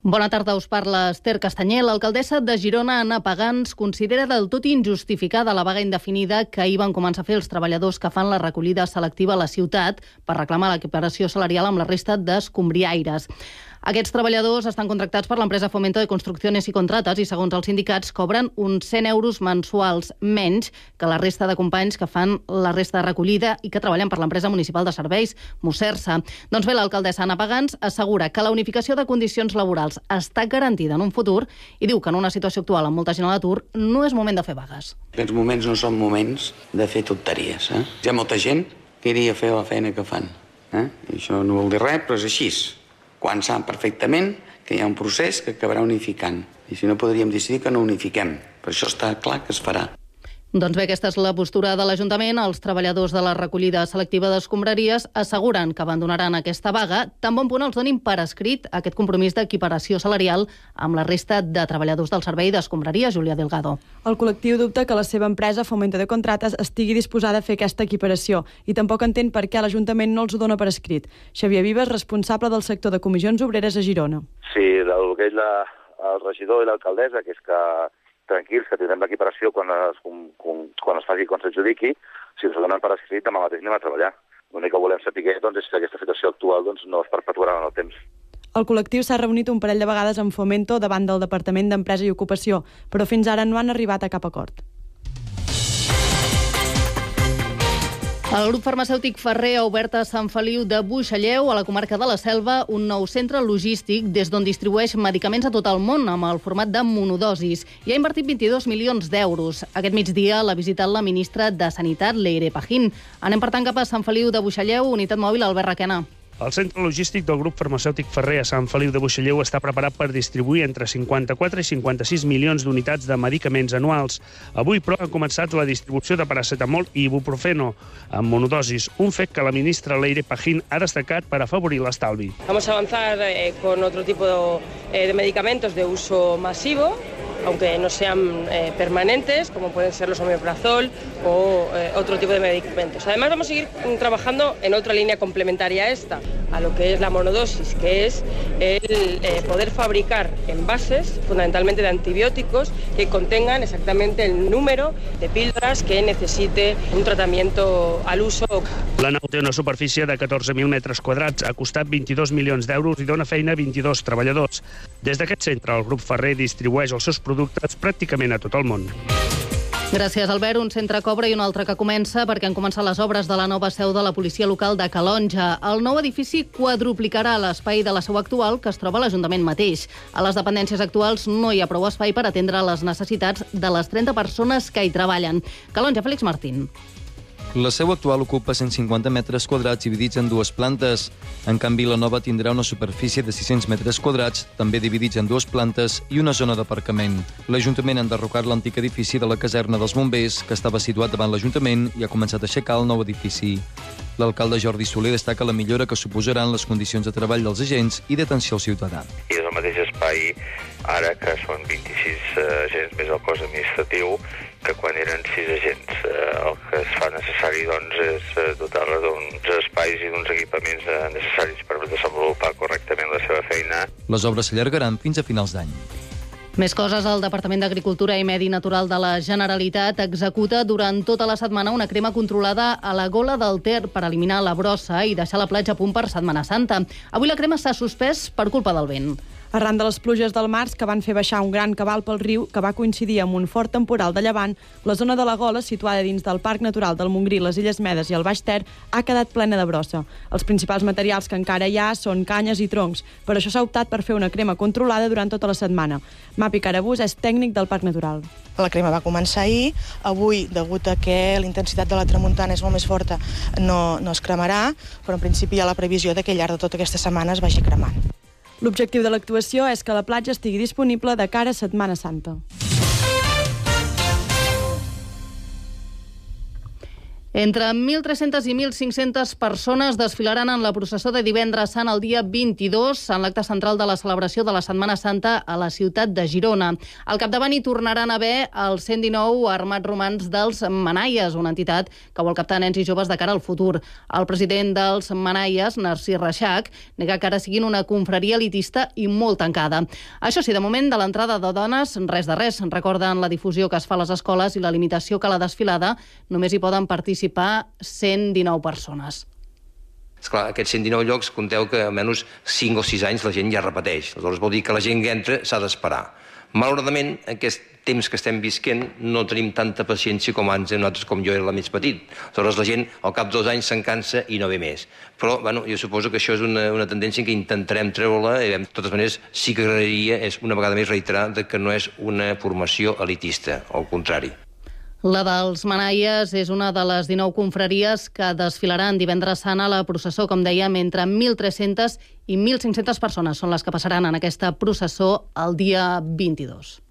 Bona tarda, us parla Esther Castanyé. L'alcaldessa de Girona, Anna Pagans, considera del tot injustificada la vaga indefinida que ahir van començar a fer els treballadors que fan la recollida selectiva a la ciutat per reclamar l'equiparació salarial amb la resta d'escombriaires. Aquests treballadors estan contractats per l'empresa Fomento de Construcciones i Contratas i, segons els sindicats, cobren uns 100 euros mensuals menys que la resta de companys que fan la resta de recollida i que treballen per l'empresa municipal de serveis, Musersa. Doncs bé, l'alcaldessa Anna Pagans assegura que la unificació de condicions laborals està garantida en un futur i diu que en una situació actual amb molta gent a l'atur no és moment de fer vagues. Aquests moments no són moments de fer tonteries. Hi ha molta gent que iria a fer la feina que fan. I això no vol dir res, però és així. Quan sap perfectament que hi ha un procés que acabarà unificant. I si no, podríem decidir que no unifiquem. Per això està clar que es farà. Doncs bé, aquesta és la postura de l'Ajuntament. Els treballadors de la recollida selectiva d'escombraries asseguren que abandonaran aquesta vaga, tan bon punt els donin per escrit aquest compromís d'equiparació salarial amb la resta de treballadors del servei d'escombraria, Julià Delgado. El col·lectiu dubta que la seva empresa, Fomento de Contratas, estigui disposada a fer aquesta equiparació i tampoc entén per què l'Ajuntament no els ho dona per escrit. Xavier Vives, responsable del sector de comissions obreres a Girona. Sí, el que és el regidor i l'alcaldessa, que és que tranquils, que tindrem l'equiparació quan es faci, quan s'adjudiqui, si ens ho donen per escrit, demà mateix anem a treballar. L'únic que volem saber doncs, és que aquesta situació actual no es perpetuarà en el temps. El col·lectiu s'ha reunit un parell de vegades amb Fomento davant del Departament d'Empresa i Ocupació, però fins ara no han arribat a cap acord. El grup farmacèutic Ferrer ha obert a Sant Feliu de Buixalleu, a la comarca de la Selva, un nou centre logístic des d'on distribueix medicaments a tot el món amb el format de monodosis i ha invertit 22 milions d'euros. Aquest migdia l'ha visitat la ministra de Sanitat, Leire Pajín. Anem, per tant, cap a Sant Feliu de Buixalleu, unitat mòbil Albert Requena. El centre logístic del grup farmacèutic Ferrer a Sant Feliu de Buixalleu està preparat per distribuir entre 54 i 56 milions d'unitats de medicaments anuals. Avui, però, ha començat la distribució de paracetamol i ibuprofeno amb monodosis, un fet que la ministra Leire Pajín ha destacat per afavorir l'estalvi. Vamos a avanzar con otro tipo de medicamentos de uso masivo, aunque no sean permanentes, como pueden ser los omeprazol o otro tipo de medicamentos. Además, vamos a seguir trabajando en otra línea complementaria a esta, a lo que es la monodosis, que es el poder fabricar envases, fundamentalmente de antibióticos, que contengan exactamente el número de píldoras que necesite un tratamiento al uso. La nau té una superfície de 14.000 metres quadrats, ha costat 22 milions d'euros i dona feina a 22 treballadors. Des d'aquest centre, el grup Ferrer distribueix els seus productes pràcticament a tot el món. Gràcies, Albert. Un centre cobra i un altre que comença perquè han començat les obres de la nova seu de la policia local de Calonja. El nou edifici quadruplicarà l'espai de la seu actual, que es troba a l'Ajuntament mateix. A les dependències actuals no hi ha prou espai per atendre les necessitats de les 30 persones que hi treballen. Calonja, Félix Martín. La seu actual ocupa 150 metres quadrats dividits en dues plantes. En canvi, la nova tindrà una superfície de 600 metres quadrats, també dividits en dues plantes, i una zona d'aparcament. L'Ajuntament ha enderrocat l'antic edifici de la caserna dels bombers, que estava situat davant l'Ajuntament, i ha començat a aixecar el nou edifici. L'alcalde Jordi Soler destaca la millora que suposaran les condicions de treball dels agents i d'atenció al ciutadà. I és el mateix espai, ara que són 26 agents més el cos administratiu, que quan eren 6 agents. El que es fa necessari doncs, és dotar-la d'uns espais i d'uns equipaments necessaris per desenvolupar correctament la seva feina. Les obres s'allargaran fins a finals d'any. Més coses. El Departament d'Agricultura i Medi Natural de la Generalitat executa durant tota la setmana una crema controlada a la Gola del Ter per eliminar la brossa i deixar la platja a punt per Setmana Santa. Avui la crema s'ha suspès per culpa del vent. Arran de les pluges del març que van fer baixar un gran cabal pel riu, que va coincidir amb un fort temporal de llevant, la zona de la Gola, situada dins del Parc Natural del Montgrí, les Illes Medes i el Baix Ter, ha quedat plena de brossa. Els principals materials que encara hi ha són canyes i troncs. Per això s'ha optat per fer una crema controlada durant tota la setmana. Mapi Carabús és tècnic del Parc Natural. La crema va començar ahir. Avui, degut a que la intensitat de la tramuntana és molt més forta, no es cremarà, però en principi hi ha la previsió de que al llarg de tota aquesta setmana es vagi cremant. L'objectiu de l'actuació és que la platja estigui disponible de cara a Setmana Santa. Entre 1.300 i 1.500 persones desfilaran en la processó de divendres sant el dia 22 en l'acte central de la celebració de la Setmana Santa a la ciutat de Girona. Al capdavant hi tornaran a haver els 119 armats romans dels Manaies, una entitat que vol captar nens i joves de cara al futur. El president dels Manaies, Narcís Reixac, nega que ara siguin una confraria elitista i molt tancada. Això sí, de moment, de l'entrada de dones, res de res. Recorden la difusió que es fa a les escoles i la limitació que a la desfilada només hi poden participar 119 persones. Esclar, aquests 119 llocs, compteu que almenys 5 o 6 anys la gent ja repeteix. Aleshores vol dir que la gent que entra s'ha d'esperar. Malauradament, en aquest temps que estem visquent no tenim tanta paciència com abans nosaltres, com jo era més petit. Aleshores la gent al cap d'2 anys se'n cansa i no ve més. Però bueno, jo suposo que això és una tendència que intentarem treure-la. De totes maneres, sí que agradaria és una vegada més reiterar que no és una formació elitista, al contrari. La dels Manaies és una de les 19 confraries que desfilaran divendres sant a la processó. Com dèiem, entre 1.300 i 1.500 persones són les que passaran en aquesta processó el dia 22.